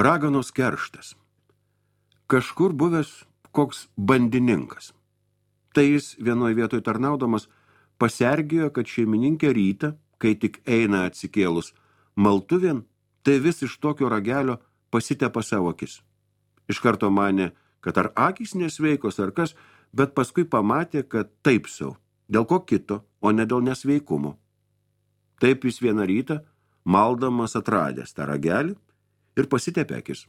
Raganos kerštas. Kažkur buvęs koks bandininkas. Tai jis vienoje vietoje tarnaudamas pasergėjo, kad šeimininkė rytą, kai tik eina atsikėlus maltuvėn, tai vis iš tokio ragelio pasitepa savo akis. Iš karto manė, kad ar akys nesveikos ar kas, bet paskui pamatė, kad taip sau, dėl ko kito, o ne dėl nesveikumo. Taip jis vieną rytą, maldamas atradęs tą ragelį ir pasitepė akis.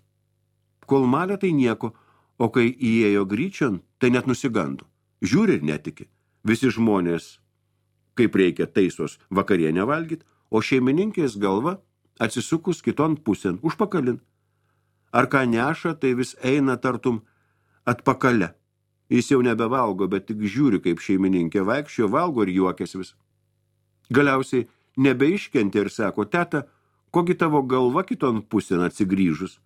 Kol malė tai nieko, o kai įėjo gryčion, tai net nusigando. Žiūri ir netiki. Visi žmonės, kaip reikia, taisos vakarienę valgyt, o šeimininkės galva atsisukus kiton pusėn, užpakalin. Ar ką neša, tai vis eina tartum atpakale. Jis jau nebevalgo, bet tik žiūri, kaip šeimininkė vaikščio, valgo ir juokės vis. Galiausiai nebeiškentė ir sako, teta, kogi tavo galva kiton pusėn atsigrįžus?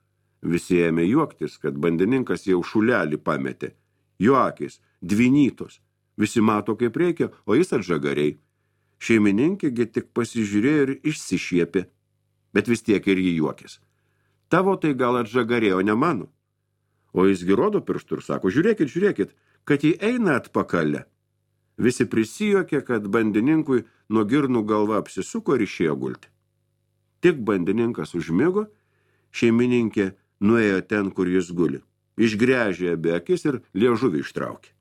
Visi ėmė juoktis, kad bandininkas jau šulelį pametė. Jo akys, dvinytos. Visi mato, kaip reikia, o jis atžagariai. Šeimininkėgi tik pasižiūrėjo ir išsišiepė, bet vis tiek ir jį juokės. Tavo tai gal atžagarėjo, ne mano. O jis rodo pirštų ir sako, žiūrėkit, kad jį eina atpakale. Visi prisijuokė, kad bandininkui nuo girnų galva apsisuko ir išėjo gulti. Tik bandininkas užmigo, šeimininkė nuėjo ten, kur jis guli. Išgręžė abi akis ir liežuvį ištraukė.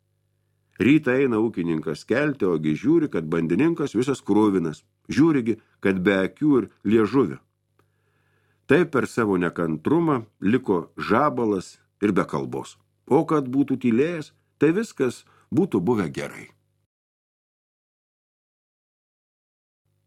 Rytą eina ūkininkas kelti, ogi žiūri, kad bandininkas visas kruvinas. Žiūrigi, kad be akių ir liežuvio. Taip per savo nekantrumą liko žabalas ir be kalbos. O kad būtų tylėjęs, tai viskas būtų buvę gerai.